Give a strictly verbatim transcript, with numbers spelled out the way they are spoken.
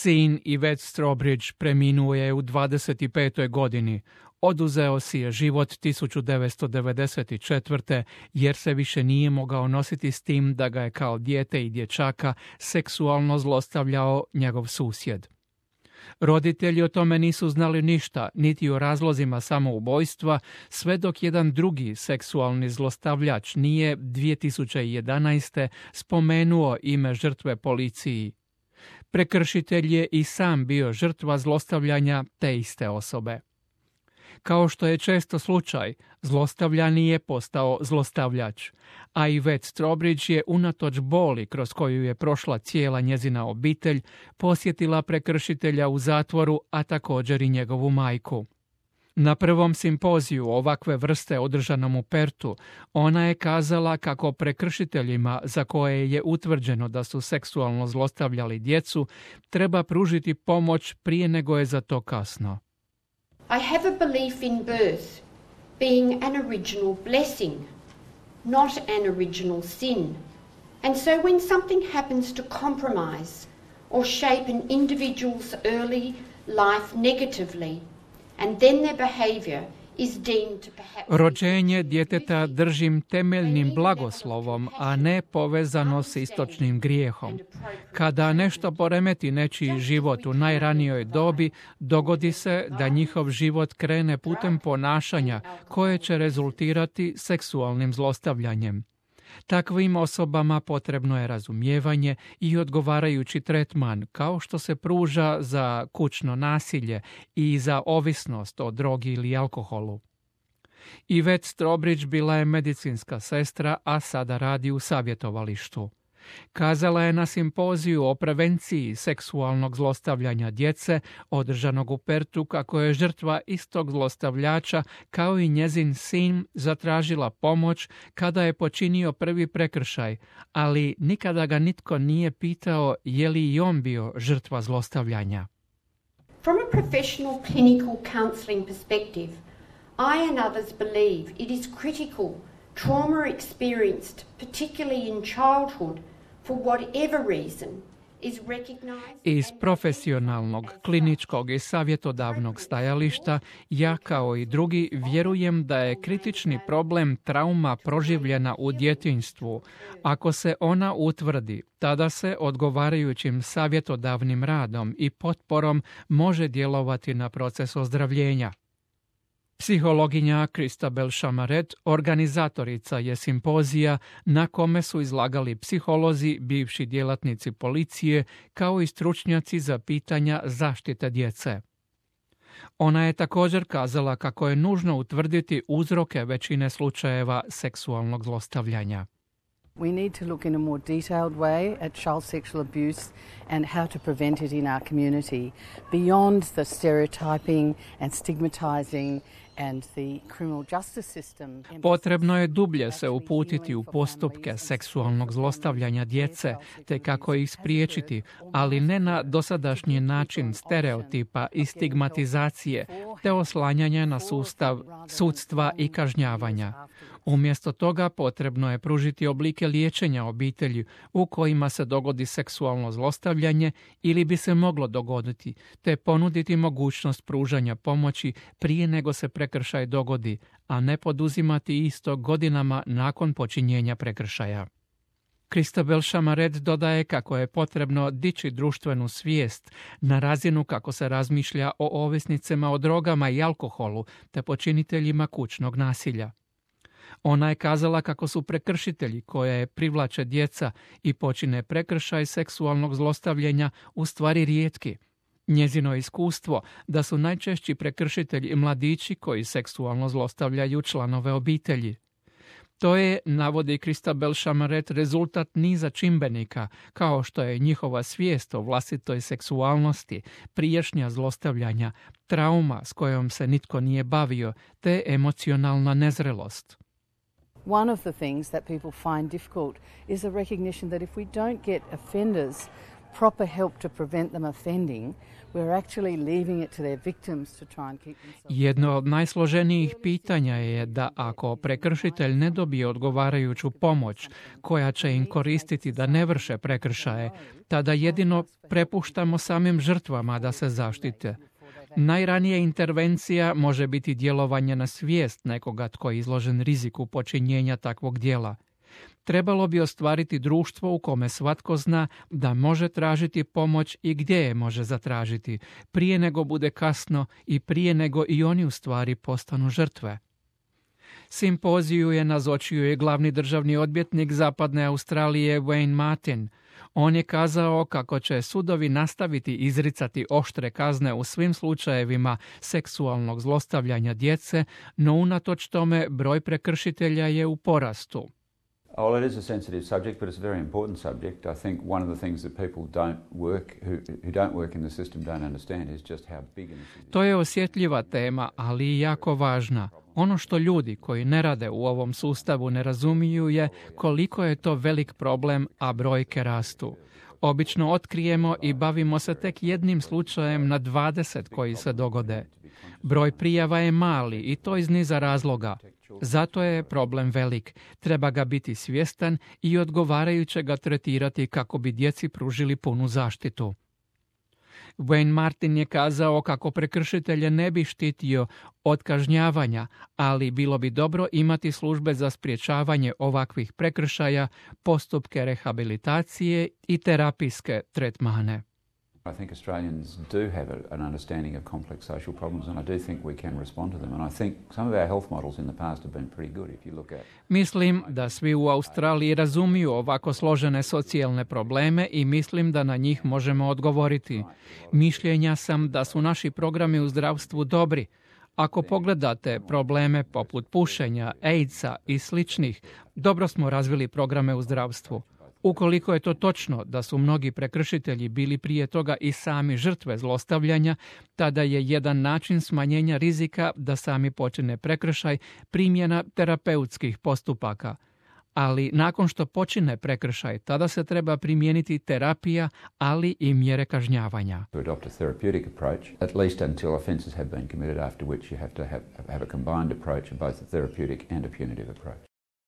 Sin Yvette Strawbridge preminuo je u dvadeset petoj godini. Oduzeo si je život tisuću devetsto devedeset četvrte jer se više nije mogao nositi s tim da ga je kao dijete i dječaka seksualno zlostavljao njegov susjed. Roditelji o tome nisu znali ništa, niti o razlozima samoubojstva, sve dok jedan drugi seksualni zlostavljač nije dvije tisuće jedanaeste. spomenuo ime žrtve policiji. Prekršitelj je i sam bio žrtva zlostavljanja te iste osobe. Kao što je često slučaj, zlostavljani je postao zlostavljač, a Yvette Strawbridge je unatoč boli kroz koju je prošla cijela njezina obitelj posjetila prekršitelja u zatvoru, a također i njegovu majku. Na prvom simpoziju ovakve vrste održanom u Pertu, ona je kazala kako prekršiteljima za koje je utvrđeno da su seksualno zlostavljali djecu treba pružiti pomoć prije nego je za to kasno. I have a belief in birth being an original blessing, not an original sin. And so when something happens to compromise or shape an individual's early life negatively, and then their behavior is deemed to perhaps... Rođenje djeteta držim temeljnim blagoslovom, a ne povezano s istočnim grijehom. Kada nešto poremeti nečiji život u najranijoj dobi, dogodi se da njihov život krene putem ponašanja koje će rezultirati seksualnim zlostavljanjem. Takvim osobama potrebno je razumijevanje i odgovarajući tretman, kao što se pruža za kućno nasilje i za ovisnost o drogi ili alkoholu. Yvette Strawbridge bila je medicinska sestra, a sada radi u savjetovalištu. Kazala je na simpoziju o prevenciji seksualnog zlostavljanja djece, održanog u Pertu, kako je žrtva istog zlostavljača kao i njezin sin zatražila pomoć kada je počinio prvi prekršaj, ali nikada ga nitko nije pitao je li i on bio žrtva zlostavljanja. From a professional clinical counselling perspective, I and others believe it is critical trauma experienced, particularly in childhood, for whatever reason, is recognized. Iz profesionalnog, kliničkog i savjetodavnog stajališta, ja kao i drugi vjerujem da je kritični problem trauma proživljena u djetinjstvu. Ako se ona utvrdi, tada se odgovarajućim savjetodavnim radom i potporom može djelovati na proces ozdravljenja. Psihologinja Christabel Chamaret organizatorica je simpozija na kome su izlagali psiholozi, bivši djelatnici policije, kao i stručnjaci za pitanja zaštite djece. Ona je također kazala kako je nužno utvrditi uzroke većine slučajeva seksualnog zlostavljanja. We need to look in a more detailed way at child sexual abuse and how to prevent it in our community, beyond the stereotyping and stigmatizing and the criminal justice system. Potrebno je dublje se uputiti u postupke seksualnog zlostavljanja djece, te kako ih spriječiti, ali ne na dosadašnji način stereotipa i stigmatizacije, te oslanjanja na sustav sudstva i kažnjavanja. Umjesto toga potrebno je pružiti oblike liječenja obitelji u kojima se dogodi seksualno zlostavljanje ili bi se moglo dogoditi, te ponuditi mogućnost pružanja pomoći prije nego se prekršaj dogodi, a ne poduzimati isto godinama nakon počinjenja prekršaja. Christabel Chamaret dodaje kako je potrebno dići društvenu svijest na razinu kako se razmišlja o ovisnicima o drogama i alkoholu te počiniteljima kućnog nasilja. Ona je kazala kako su prekršitelji koje privlače djeca i počine prekršaj seksualnog zlostavljanja u stvari rijetki. Njezino iskustvo da su najčešći prekršitelji mladići koji seksualno zlostavljaju članove obitelji. To je, navodi Christabel Chamaret, rezultat niza čimbenika, kao što je njihova svijest o vlastitoj seksualnosti, prijašnja zlostavljanja, trauma s kojom se nitko nije bavio, te emocionalna nezrelost. One of the things that people find difficult is a recognition that if we don't get offenders proper help to prevent them offending, we're actually leaving it to their victims to try and keep themselves. Jedno od najsloženijih pitanja je da ako prekršitelj ne dobije odgovarajuću pomoć koja će im koristiti da ne vrše prekršaje, tada jedino prepuštamo samim žrtvama da se zaštite. Najranija intervencija može biti djelovanje na svijest nekoga tko je izložen riziku počinjenja takvog djela. Trebalo bi ostvariti društvo u kome svatko zna da može tražiti pomoć i gdje je može zatražiti, prije nego bude kasno i prije nego i oni u stvari postanu žrtve. Simpoziju je nazočio i glavni državni odvjetnik Zapadne Australije Wayne Martin. On je kazao kako će sudovi nastaviti izricati oštre kazne u svim slučajevima seksualnog zlostavljanja djece, no unatoč tome broj prekršitelja je u porastu. Well, it is a sensitive subject, but it's a very important subject. I think one of the things that people don't work, who, who don't work in the system don't understand is just how big an issue. To je osjetljiva tema, ali i jako važna. Ono što ljudi koji ne rade u ovom sustavu ne razumiju je koliko je to velik problem, a brojke rastu. Obično otkrijemo i bavimo se tek jednim slučajem na dvadeset koji se dogode. Broj prijava je mali i to iz niza razloga. Zato je problem velik. Treba ga biti svjestan i odgovarajuće ga tretirati kako bi djeci pružili punu zaštitu. Wayne Martin je kazao kako prekršitelje ne bi štitio od kažnjavanja, ali bilo bi dobro imati službe za sprječavanje ovakvih prekršaja, postupke rehabilitacije i terapijske tretmane. I think Australians do have a, an understanding of complex social problems, and I do think we can respond to them. And I think some of our health models in the past have been pretty good if you look at. Mislim da svi u Australiji razumiju ovako složene socijalne probleme i mislim da na njih možemo odgovoriti. Mišljenja sam da su naši programi u zdravstvu dobri. Ako pogledate probleme poput pušenja, AIDS-a i sličnih, dobro smo razvili programe u zdravstvu. Ukoliko je to točno da su mnogi prekršitelji bili prije toga i sami žrtve zlostavljanja, tada je jedan način smanjenja rizika da sami počine prekršaj primjena terapeutskih postupaka. Ali nakon što počine prekršaj, tada se treba primijeniti terapija, ali i mjere kažnjavanja. To adopt a therapeutic approach, at least until offences have been committed, after which you have to have, have a combined approach of both a therapeutic and a punitive approach.